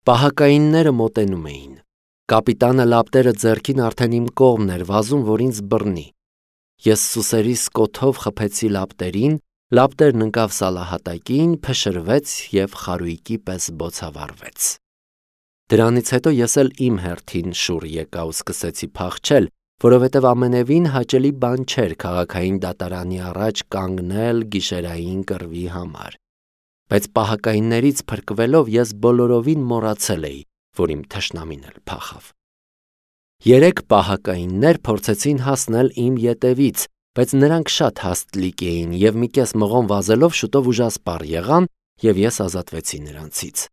Պահակայինները մոտենում էին։ Կապիտանը լապտերը ձեռքին արդեն իմ կողմն էր վազում, որ ինձ բռնի։ Ես սուսերիս կոթով խփեցի լապտերին, լապտերն ընկավ սալահատակին, փշրվեց և խարույկի պես բոցավառվեց։ Դրանից հետո ես էլ իմ հերթին շուռ եկա ու սկսեցի փախչել, որովհետև ամենևին հաճելի բան չէր քաղաքային դատարանի առաջ կանգնել գիշերային կռվի համար։ Բայց պահակայիններից փրկվելով ես բոլորովին մոռացել էի, որ իմ թշնամին էլ փախավ։ 3 պահակայիններ փորձեցին հասնել իմ ետևից, բայց նրանք շատ հաստլիկ էին և մի կես մղոն վազելով շուտով ուժասպառ եղան և ես ազատվեցի նրանցից։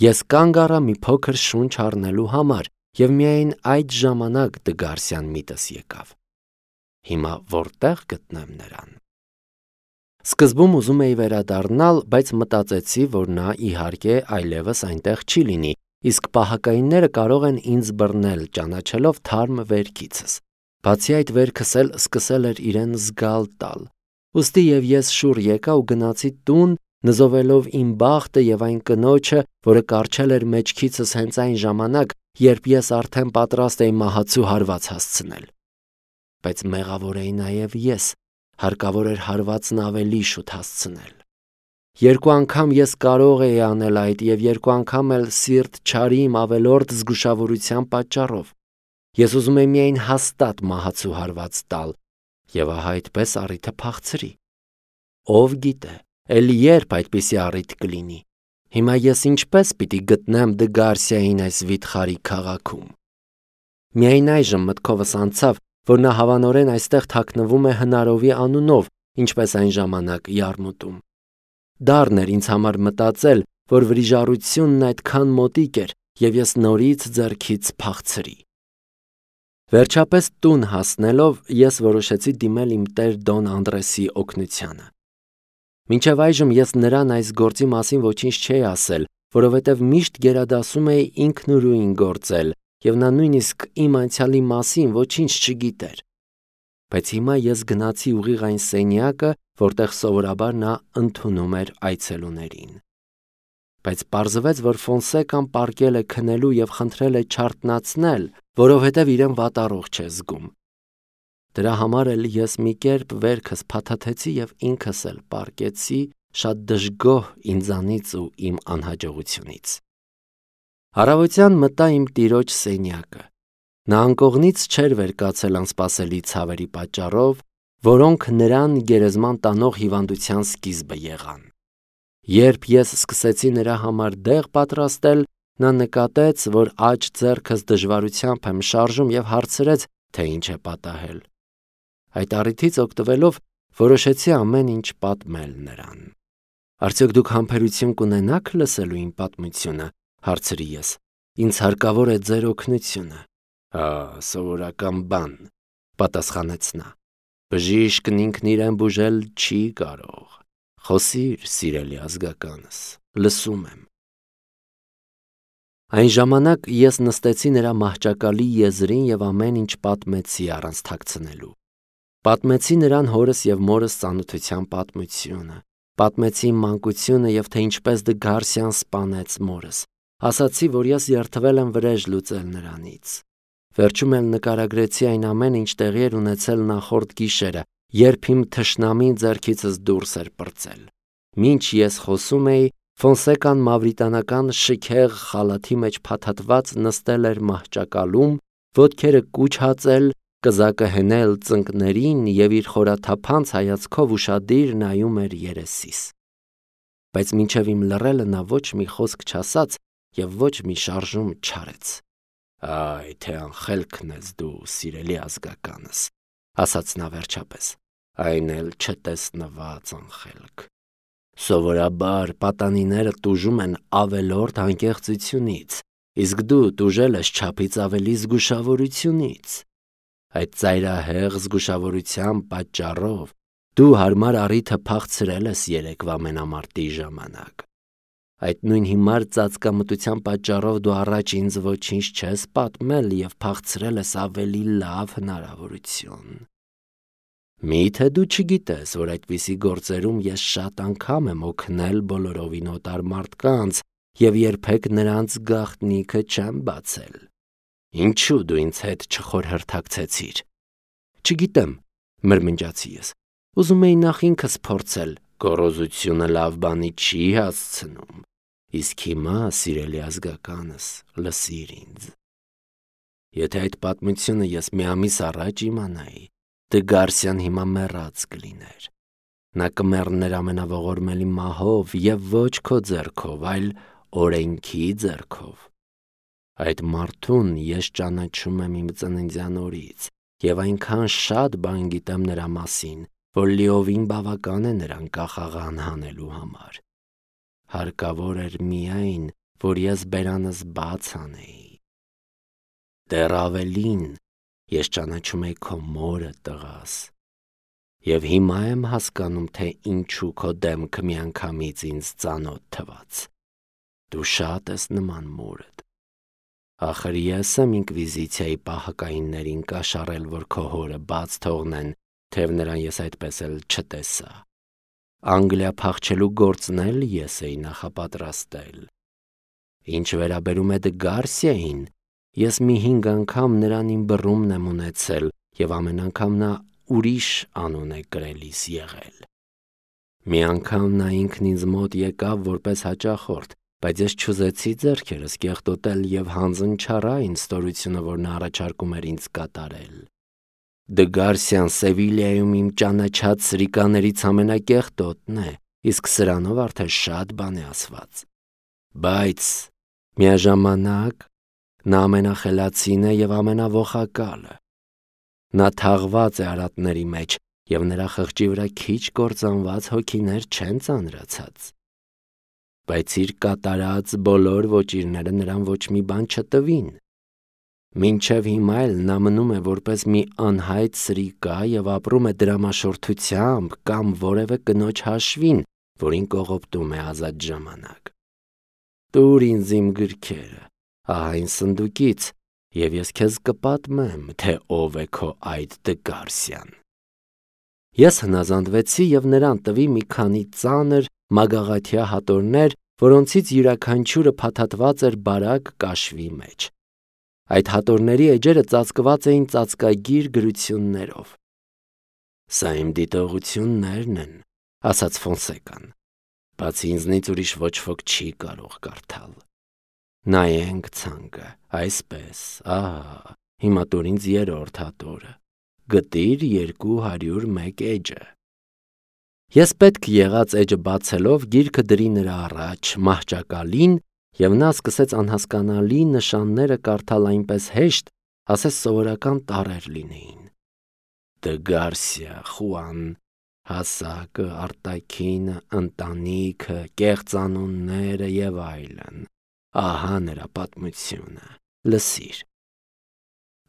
Ես կանգ առա մի փոքր շունչ առնելու համար և միայն այդ ժամանակ Դգարսյան միտս եկավ։ Հիմա որտե՞ղ գտնեմ նրան։ Սկզբում ուզում էի վերադառնալ, բայց մտածեցի, որ նա իհարկե այլևս այնտեղ չի լինի, իսկ պահակայինները կարող են ինձ բռնել, ճանաչելով թարմ վերքիցս։ Բացի այդ վերքս էլ սկսել էր իրեն զգալ տալ։ Ուստի և ես շուռ եկա ու գնացի տուն, նզովելով իմ բախտը և այն կնոջը, որը կառչել էր մեջքիցս հենց այն ժամանակ, երբ ես արդեն պատրաստ էի մահացու հարված հասցնել։ Բայց մեղավոր էի նաև ես, հարկավոր էր հարվածն ավելի շուտ հասցնել։ 2 անգամ ես կարող էի անել այդ և 2 անգամ էլ սիրտ չարի իմ ավելորդ զգուշավորության պատճառով։ Ես ուզում էի միայն հաստատ մահացու հարված տալ և ահա այդպես առիթը փախցրի։ Ով գիտե, էլի երբ այդպիսի առիթ կլինի։ Հիմա ես ինչպես պիտի գտնեմ Դգարսիային այս վիթխարի քաղաքում։ Միայն այժմ մտքովս անցավ, որ նա հավանորեն այստեղ թաքնվում է Հնարովի անունով, ինչպես այն ժամանակ Յարմուտում։ Դառն էր ինձ համար մտածել, որ վրիժառությունն այդքան մոտիկ էր, և ես նորից ձեռքից փախցրի։ Վերջապես տուն հասնելով ես որոշեցի դիմել իմ տեր Դոն Անդրեսի օգնությանը։ Մինչև այժմ ես նրան այս գործի մասին ոչինչ չէի ասել, որովհետև միշտ գերադասում էի ինքնուրույն գործել, և նա նույնիսկ իմ անցյալի մասին ոչինչ չգիտեր։ Բայց հիմա ես գնացի ուղիղ այն սենյակը, որտեղ սովորաբար նա ընդունում էր այցելուներին։ Բայց պարզվեց, որ Ֆոնսեկան պառկել է քնելու և խնդրել է չարթնացնել, որովհետև իրեն վատառողջ է զգում։ Դրա համար էլ ես մի կերպ վերքս փաթաթեցի և ինքս էլ պառկեցի, շատ դժգոհ ինձանից ու իմ անհաջողությունից։ Առավոտյան մտա իմ տիրոջ սենյակը։ Նա անկողնից չէր վեր կացել անսպասելի ցավերի պատճառով, որոնք նրան գերեզման տանող հիվանդության սկիզբը եղան։ Երբ ես սկսեցի նրա համար դեղ պատրաստել, նա նկատեց, որ աջ ձեռքս դժվարությամբ եմ շարժում և հարցրեց, թե ինչ է պատահել։ Այդ առիթից օգտվելով որոշեցի ամեն ինչ պատմել նրան։ Արդյոք դուք համբերություն կունենա՞ք լսելու իմ պատմությունը, հարցրի ես։ Ինձ հարկավոր է ձեր օգնությունը։ Սովորական բան, պատասխանեց նա։ Բժիշկն ինքն իրեն բուժել չի կարող։ Խոսիր, սիրելի ազգականս, լսում եմ։ Այն ժամանակ ես նստեցի նրա մահճակալի եզրին և ամեն ինչ պատմեցի առանց թաքցնելու։ Պատմեցի նրան հորս և մորս ծանոթության պատմությունը, պատմեցի իմ մանկությունը և թե ինչպես Դգարսյան սպանեց մորս, ասացի, որ ես երդվել եմ վրեժ լուծել նրանից։ Վերջում էլ նկարագրեցի այն ամենը, ինչ տեղի էր ունեցել նախորդ գիշերը, երբ իմ թշնամին ձեռքիցս դուրս էր պրծել։ Մինչ ես խոսում էի, Ֆոնսեկան մավրիտանական շքեղ խալաթի մեջ փաթաթված նստել էր մահճակալում, ոտքերը կուչ հածել, կզակը հենել ծնկներին և իր խորաթափանց հայացքով ուշադիր նայում էր երեսիս։ Բայց մինչև իմ լռելը նա ոչ մի խոսք չասաց և ոչ մի շարժում չարեց։ Այ թե անխելքն ես դու, սիրելի ազգականս, ասաց նա վերջապես, այն էլ չտեսնված անխելք։ Սովորաբար պատանիները տուժում են ավելորդ անկեղծությունից, իսկ դու տուժել ես չափից ավելի զգուշավորությունից։ Այդ ծայրահեղ զգուշավորության պատճառով դու հարմար առիթը փախցրել ես երեկվա մենամարտի ժամանակ։ Այդ նույն հիմար ծածկամտության պատճառով դու առաջ ինձ ոչինչ չես պատմել և փախցրել ես ավելի լավ հնարավորություն։ Մի՞թե դու չգիտես, որ այդպիսի գործերում ես շատ անգամ եմ օգնել բոլորովին օտար մարդկանց և երբեք նրանց գաղտնիքը չեմ բացել։ Ինչու դու ինձ հետ չխորհրդակցեցիր։ Չգիտեմ, մրմնջացի ես։ Ուզում էի նախ ինքս փորձել, գոռոզությունը լավ բանի չի հասցնում։ Իսկ հիմա, սիրելի ազգականս, լսիր ինձ։ Եթե այդ պատմությունը ես մի ամիս առաջ իմանայի, Դգարսյան հիմա մեռած կլիներ։ Նա կմեռներ ամենաողորմելի մահով և ոչ քո ձեռքով, այլ օրենքի ձեռքով։ Այդ մարդուն ես ճանաչում եմ իմ ծննդյան օրից և այնքան շատ բան գիտեմ նրա մասին, որ լիովին բավական է նրան կախաղան հանելու համար։ Հարկավոր էր միայն, որ ես բերանս բաց անեի։ Դեռ ավելին, ես ճանաչում էի քո մորը, տղաս, և հիմա եմ հասկանում, թե ինչու քո դեմքը միանգամից ինձ ծանոթ թվաց։ Դու շատ ես նման մորդ։ Ախր ես եմ ինկվիզիցիայի պահակայիններին կաշառել, որ քո հորը բաց թողնեն, թեև նրան ես այդպես էլ չտեսա։ Անգլիա փախչելու գործն էլ ես էի նախապատրաստել։ Ինչ վերաբերում է Դգարսիային, ես մի 5 անգամ նրան իմ բռունմն եմ ունեցել և ամեն անգամ նա ուրիշ անուն է կրելիս եղել։ Մի անգամ նա ինքն ինձ մոտ եկավ որպես հաճախորդ, բայց ես չուզեցի ձեռքերս կեղտոտել և հանձն չառա այն ստորությունը, որ նա առաջարկում էր ինձ կատարել։ Դգարսիան Սևիլիայում իմ ճանաչած սրիկաներից ամենակեղտոտն է, իսկ սրանով արդեն շատ բան է ասված։ Բայց միաժամանակ նա ամենախելացին է և ամենաոխակալը։ Նա թաղված է արատների մեջ, և նրա խղճի վրա քիչ կործանված հոգիներ չեն ծանրացած։ Բայց իր կատարած բոլոր ոճիրները նրան ոչ մի բան չտվին։ Մինչև հիմա էլ նա մնում է որպես մի անհայտ սրիկա և ապրում է դրամաշորթությամբ կամ որևէ կնոջ հաշվին, որին կողոպտում է ազատ ժամանակ։ Տուր ինձ իմ գրքերը, ահա այն սնդուկից, և ես քեզ կպատմեմ, թե ով է քո այդ Դգարսյան։ Ես հնազանդվեցի և նրան տվի մի քանի ծանր մագաղաթյա հատորներ, որոնցից յուրաքանչյուրը փաթաթված էր բարակ կաշվի մեջ։ Այդ հատորների էջերը ծածկված էին ծածկագիր գրություններով։ «Սա իմ դիտողություններն են», ասաց Ֆոնսեկան։ «Բացի ինձնից ուրիշ ոչ ոք չի կարող կարդալ։ Նայենք ցանկը, այսպես, ահա, հիմա տուր ինձ 3-րդ հատորը, գտիր 201 էջը»։ Ես պետք եղած էջը բացելով գիրքը դրի նրա առաջ մահճակալին, և նա սկսեց անհասկանալի նշանները կարդալ այնպես հեշտ, ասես սովորական տառեր լինեին։ Դգարսիա, Խուան, հասակը, արտաքինը, ընտանիքը, կեղծանունները և այլն։ Ահա նրա պատմությունը, լսիր։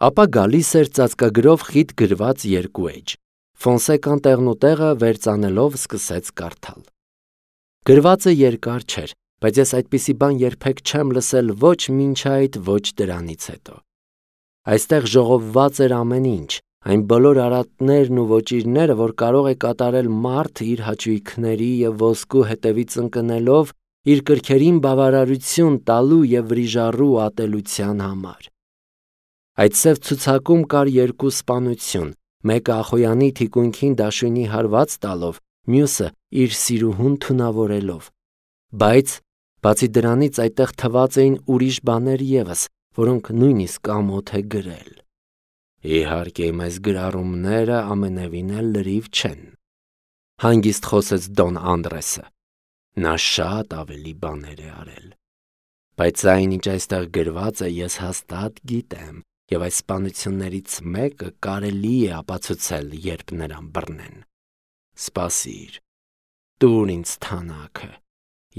Ապա գալիս էր ծածկագրով խիտ գրված 2 էջ։ Ֆոնսեկան տեղնուտեղը վերծանելով սկսեց կարդալ։ Գրվածը երկար չէր, բայց ես այդպիսի բան երբեք չեմ լսել ոչ մինչ այդ, ոչ դրանից հետո։ Այստեղ ժողովված էր ամեն ինչ, այն բոլոր արատներն ու ոճիրները, որ կարող է կատարել մարդ իր հաճույքների և ոսկու հետևից ընկնելով, իր կրքերին բավարարություն տալու և վրիժառու ատելության համար։ Այդ սև ցուցակում կար 2 սպանություն, մեկը Ախոյանի թիկունքին դաշույնի հարված տալով, մյուսը իր սիրուհուն թունավորելով։ Բայց բացի դրանից այդտեղ թված էին ուրիշ բաներ ևս, որոնք նույնիսկ ամոթ է գրել։ Իհարկե, մեզ գրառումները ամենևին էլ լրիվ չեն, հանգիստ խոսեց Դոն Անդրեսը։ Նա շատ ավելի բաներ է արել։ Բայց այն, ինչ այստեղ գրված է, ես հաստատ գիտեմ, և այս սպանություններից մեկը կարելի է ապացուցել, երբ նրան բռնեն։ Սպասիր, տուր ինձ թանաքը,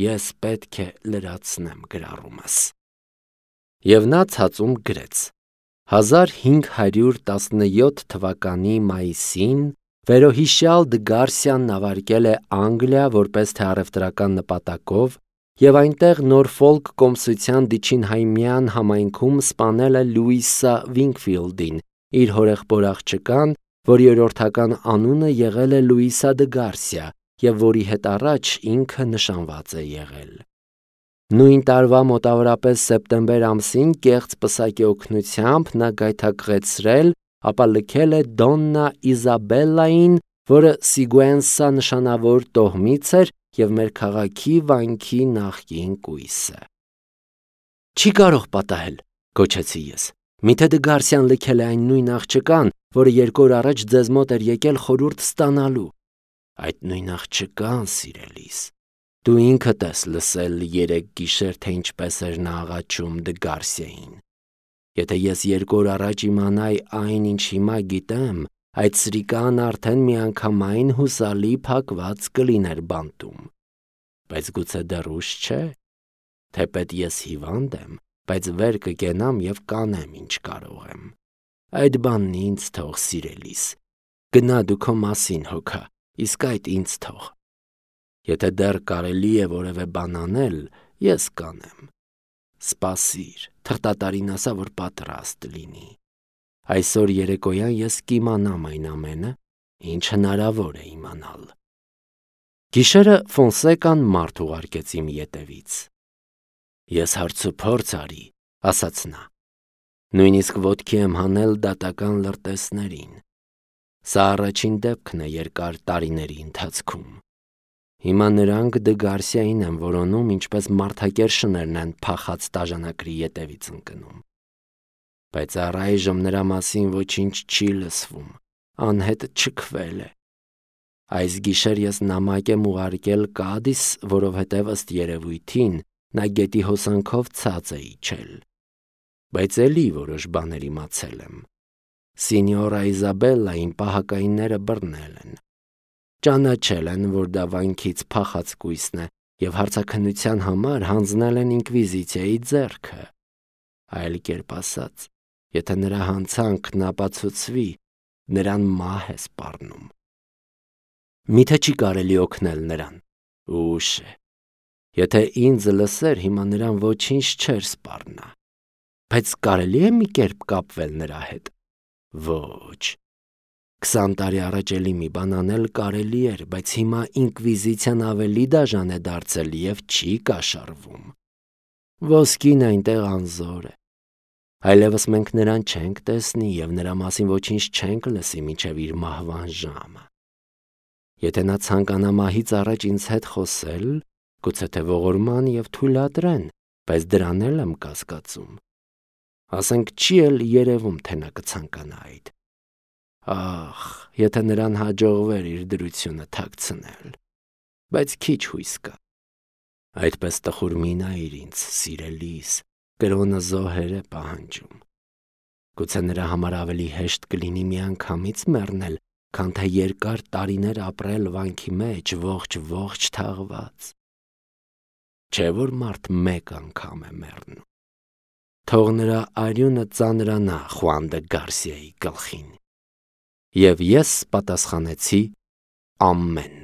ես պետք է լրացնեմ գրառումս։ Եվ նա ցածում գրեց. 1517 թվականի մայիսին վերոհիշյալ Դգարսիան նավարկել է Անգլիա որպես թե առևտրական նպատակով և այնտեղ Նորֆոլք կոմսության Դիչինհայմյան համայնքում սպանել է Լուիսա Վինքֆիլդին, իր հորեղբոր աղջկան, որի օրորդական անունը եղել է Լուիսա Դգարսիա և որի հետ առաջ ինքը նշանված է եղել։ Նույն տարվա մոտավորապես սեպտեմբեր ամսին կեղծ պսակի օգնությամբ նա գայթակղեցրել, ապա լքել է Դոննա Իզաբելլային, որը Սիգուենսա նշանավոր տոհմից էր և մեր քաղաքի վանքի նախկին կույսը։ «Չի կարող պատահել», գոչեցի ես։ «Միթե դե Գարսիան լքել է այն նույն աղջկան, որը 2 օր առաջ ձեզ մոտ էր եկել խորհուրդ ստանալու»։ «Այդ նույն աղջկան, սիրելիս, դու ինքդ ես լսել 3 գիշեր, թե ինչպես էր նա աղաչում դե Գարսիային։ Եթե ես 2 օր առաջ իմանայի այն, ինչ հիմա գիտեմ, այդ սրիկան արդեն միանգամայն հուսալի փակված կլիներ բանտում։ Բայց գուցե դեռ ուշ չէ։ Թեպետ ես հիվանդ եմ, բայց վեր կկենամ և կանեմ, ինչ կարող եմ։ Այդ բանն ինձ թող, սիրելիս։ Գնա դու քո մասին հոգա, իսկ այդ ինձ թող։ Եթե դեռ կարելի է որևէ բան անել, ես կանեմ։ Սպասիր, թղթատարին ասա, որ պատրաստ լինի։ Այսօր երեկոյան ես կիմանամ այն ամենը, ինչ հնարավոր է իմանալ»։ Գիշերը Ֆոնսեկան մարդ ուղարկեց իմ ետևից։ «Ես հարցուփորձ արի», ասաց նա։ «Նույնիսկ ոտքի եմ հանել դատական լրտեսներին։ Սա առաջին դեպքն է երկար տարիների ընթացքում։ Հիմա նրանք դե Գարսիային են որոնում, ինչպես մարդակեր շներն են փախած տաժանակրի ետևից ընկնում։ Բայց առայժմ նրա մասին ոչինչ չի լսվում, անհետ չքվել է։ Այս գիշեր ես նամակ եմ ուղարկել Կադիս, որովհետև ըստ երևույթին նա գետի հոսանքով ցած է իջել։ Բայց էլի որոշ բաներ իմացել եմ։ Սինյորա Իզաբելլային պահակայինները բռնել են։ Ճանաչել են, որ դա վանքից փախած կույսն է և հարցաքննության համար հանձնել են ինկվիզիցիայի ձեռքը։ Այլ կերպ ասած, եթե նրա հանցանքն ապացուցվի, նրան մահ է սպառնում։ Միթե չի կարելի օգնել նրան։ Ուշ է։ Եթե ինձ լսեր, հիմա նրան ոչինչ չէր սպառնա։ Բայց կարելի է մի կերպ կապվել նրա հետ։ Ոչ։ 20 տարի առաջ էլի մի բան անել կարելի էր, բայց հիմա ինկվիզիցիան ավելի դաժան է դարձել և չի կաշառվում։ Ոսկին այնտեղ անզոր է։ Այլևս մենք նրան չենք տեսնի և նրա մասին ոչինչ չենք լսի մինչև իր մահվան ժամը։ Եթե նա ցանկանա մահից առաջ ինձ հետ խոսել, գուցե թե ողորման և թույլատրեն, բայց դրան էլ եմ կասկածում։ Ասենք չի էլ երևում, թե նա կցանկանա այդ։ Ախ, եթե նրան հաջողվեր իր դրությունը թաքցնել, բայց քիչ հույս կա։ Այդպես տխուր մի նայիր ինձ, սիրելիս, կրոնը զոհեր է պահանջում։ Գուցե նրա համար ավելի հեշտ կլինի միանգամից մեռնել, քան թե երկար տարիներ ապրել վանքի մեջ ողջ թաղված։ Չէ՞ որ մարդ մեկ անգամ է մեռնում։ Թող նրա արյունը ծանրանա Խուան դե Գարսիայի գլխին։ Եվ ես պատասխանեցի՝ ամեն։